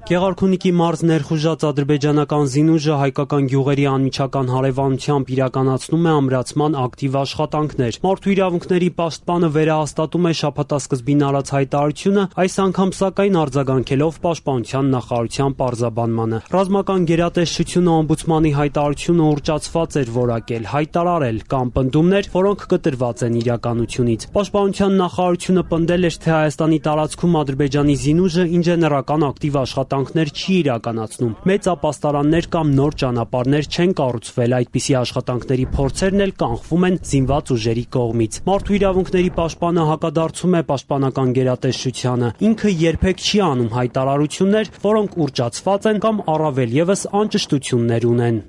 Գեղարքունիքի մարզ ներխուժած ադրբեջանական զինուժը հայկական գյուղերի անմիջական հարևանությամբ իրականացնում է ամրացման ակտիվ աշխատանքներ։ Մարդու իրավունքների պաշտպանը վերահաստատում է շաբաթասկզբին արած հայտարարությունը, այս անգամ սակայն արձագանքելով Պաշտպանության նախարարության պարզաբանմանը։ Ռազմական գերատեսչությունը օմբուդսմանի հայտարարությունը ուռճացված էր որակել, հայտարարել կամ պնդումներ, որոնք կտրված են իրականությունից։ Պաշտպանության նախարարությունը պնդել էր, թե Հայաստանի տարածքում Ադրբեջանի զինուժը ինժեներական ակտիվ աշխատանքներ չի իրականացնում։ Մեծ ապաստարաններ կամ նոր ճանապարհներ չեն կառուցվել, այդպիսի աշխատանքների փորձերն էլ կանխվում են զինված ուժերի կողմից։ Մարդու իրավունքների պաշտպանը հակադարձում է պաշտպանական գերատեսչությանը։ Ինքը երբեք չի անում հայտարարություններ, որոնք ուռճացված են կամ առավել եւս անճշտություններ ունեն։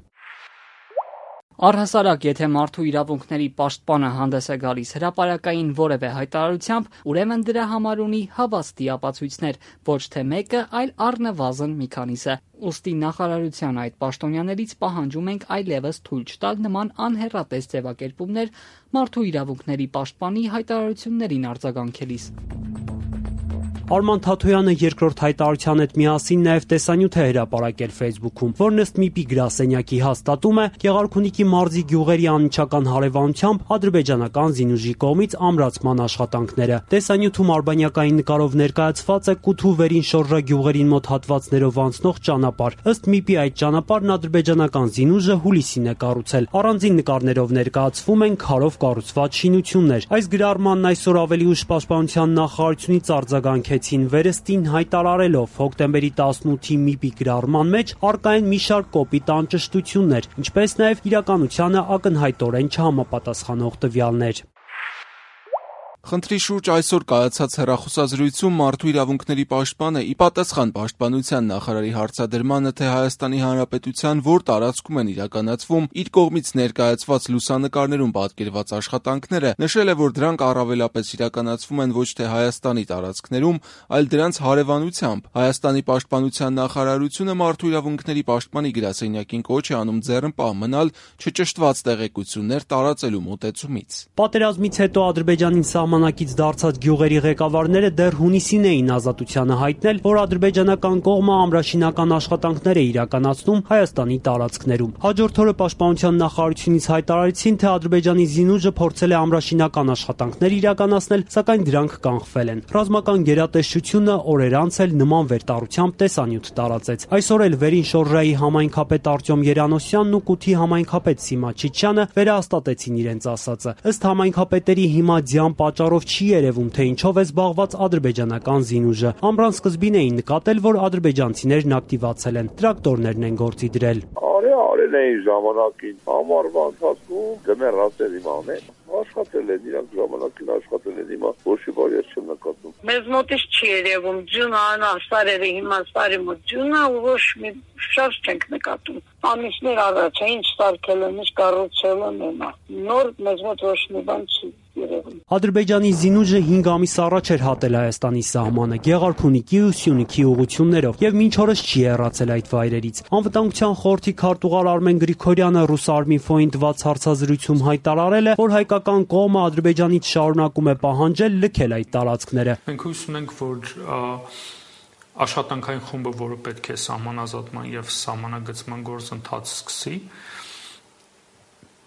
Առհասարակ, եթե մարդու իրավունքների պաշտպանը հանդես է գալիս հրապարակային որևէ հայտարարությամբ, ուրեմն դրա համար ունի հավաստի ապացույցներ, ոչ թե մեկը, այլ առնվազն մի քանիսը։ Ուստի նախարարության այդ պաշտոնյաներից պահանջում ենք այլևս թույլ չտալ նման անհեռատես ձևակերպումներ մարդու իրավունքների պաշտպանի հայտարարություններին արձագանքելիս։ Արման Թաթոյանը երկրորդ հայտարարության հետ միասին նաև տեսանյութ է հրապարակել Facebook-ում, որն ըստ ՄԻՊ-ի գրասենյակի հաստատում է Գեղարքունիքի մարզի գյուղերի անմիջական հարևանությամբ ադրբեջանական զինուժի կողմից ամրացման աշխատանքները։ Տեսանյութում արբանյակային նկարով ներկայացված է Կութու վերին շորժա գյուղերին մոտ հատվածներով անցնող ճանապարհ։ Ըստ ՄԻՊ-ի այդ ճանապարհն ադրբեջանական զինուժը հուլիսին է կառուցել։ Առանձին նկարներով ներկայացվում են քարով կառուցված շինություններ։ Այս գրառմանն այսօր ավելի ուշ Պաշտպանության նախարարությունից արձագանք վերստին հայտարարելով հոկտեմբերի 18-ի ՄԻՊ-ի գրառման մեջ առկա են մի շարք կոպիտ անճշտություններ, ինչպես նաև իրականությանը ակնհայտորեն չհամապատասխանող տվյալներ։ Խնդրի շուրջ այսօր կայացած հեռախոսազրույցում մարդու իրավունքների պաշտպանը ի պատասխան Պաշտպանության նախարարի հարցադրմանը, թե Հայաստանի Հանրապետության որ տարածքում են իրականացվում իր կողմից ներկայացված լուսանկարներում պատկերված աշխատանքները, նշել է, որ դրանք առավելապես իրականացվում են ոչ թե Հայաստանի տարածքներում, այլ դրանց հարևանությամբ։ Հայաստանի Պաշտպանության նախարարությունը մարդու իրավունքների պաշտպանի գրասենյակին կոչ է անում ձեռնպահ մնալ չճշտված տեղեկություններ տարածելու մոտեցումից։ Պատերազմից հետո Ադրբեջանին սահմանակից դարձած գյուղերի ղեկավարները դեռ հունիսին էին ազատությանը հայտնել, որ ադրբեջանական կողմը ամրաշինական աշխատանքներ է իրականացնում Հայաստանի տարածքներում։ Հաջորդ օրը Պաշտպանության նախարարությունից հայտարարեցին, թե Ադրբեջանի զինուժը փորձել է ամրաշինական աշխատանքներ իրականացնել, սակայն դրանք կանխվել են։ Ռազմական գերատեսչությունը օրեր անց էլ նման վերտառությամբ տեսանյութ տարածեց։ Այսօր էլ վերին շորժայի համայնքապետ Արտյոմ Երանոսյանն ու Կութի համայնքապետ Սիմա Չիչյանը վերահաստատեցին իրենց ասածը։ Ըստ համայնքապետերի հիմա ձյան պատճառով չի երևում, թե ինչով է զբաղված ադրբեջանական զինուժը։ Ամռան սկզբին էին նկատել, որ ադրբեջանցիներն ակտիվացել են, տրակտորներն են գործի դրել։ Արել էին ժամանակին, ամառվա ընթացքում դմեր ասել իմանեն, աշխատել են, իրանք ժամանակին աշխատել են, հիմա ոչի բարի չեմ նկատում։ Մեզ մոտից չի երևում ջունը, անա սարերը հիմա սարի մոտ ջունը ու ոչ մի շարժ չենք նկատում։ Ամիսներ առաջ ինչ սարքել են, ինչ կառուցել են հիմա։ Նոր մեզ մոտ ոչ մի բան չի երևում։ Ադրբեջանի զինուժը 5 ամիս առաջ էր հատել Հայաստանի սահմանը Գեղարքունիքի ու Սյունիքի ուղություններով եւ մինչ օրս չի հեռացել այդ վայրերից։ Անվտանգության խորհրդի քարտուղար Արմեն Գրիգորյանը Ռուսարմինֆոյին տված հարցազրույցում հայտարարել է, որ հայկական կողմը Ադրբեջանից շարունակում է պահանջել լքել այդ տարածքները։ Մենք հույս ունենք, որ աշխատանքային խումբը, որը պետք է սահմանազատման եւ սահմանագծման գործընթաց սկսի,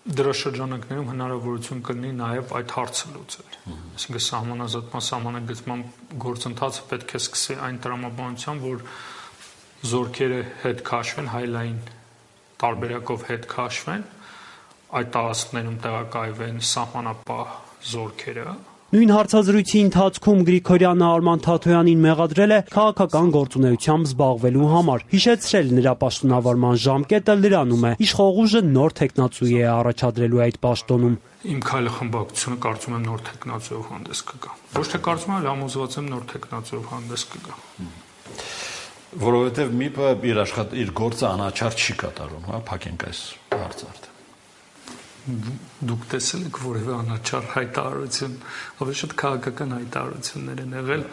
դրա շրջանակներում հնարավորություն կլինի նաև այդ հարցը լուծել։ Այսինքն սահմանազատման, սահմանագծման գործընթացը պետք է սկսի այն տրամաբանությամբ, որ զորքերը հետ քաշվեն, հայլային տարբերակով հետ քաշվեն, այդ տարածքներում տեղակայվեն սահմանապահ զորքերը։ Նույն հարցազրույցի ընթացքում Գրիգորյանը Արման Թաթոյանին մեղադրել է քաղաքական գործունեությամբ զբաղվելու համար։ Հիշեցրել նրա պաշտոնավարման ժամկետը լրանում է։ Իշխող ուժը նոր թեկնածուի է առաջադրելու այդ պաշտոնում։ Իմ քայլը խմբակցությունը կարծում եմ նոր թեկնածուով հանդես կգա։ Ոչ թե կարծում եմ, այլ համոզված եմ նոր թեկնածուով հանդես կգա։ Որովհետև ՄԻՊ-ը իր գործը անաչառ չի կատարում, հա, փակենք այս հարցը արդեն։ Դուք տեսել եք որևէ անաչառ հայտարարություն, ավելի շատ քաղաքական հայտարարություններ են եղել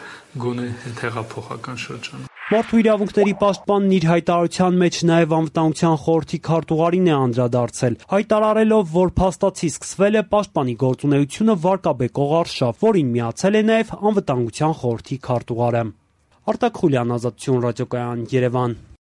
գոնե հեղափոխական շրջանում։ Մարդու իրավունքների պաշտպանն իր հայտարարության մեջ նաև անվտանգության խորհրդի քարտուղարին է անդրադարձել, հայտարարելով, որ փաստացի սկսվել է պաշտպանի գործունեությունը վարկաբեկող արշավ, որին միացել է նաև անվտանգության խորհրդի քարտուղարը։ Արտակ Խուլյան, Ազատություն ռադիոկայան, Երևան։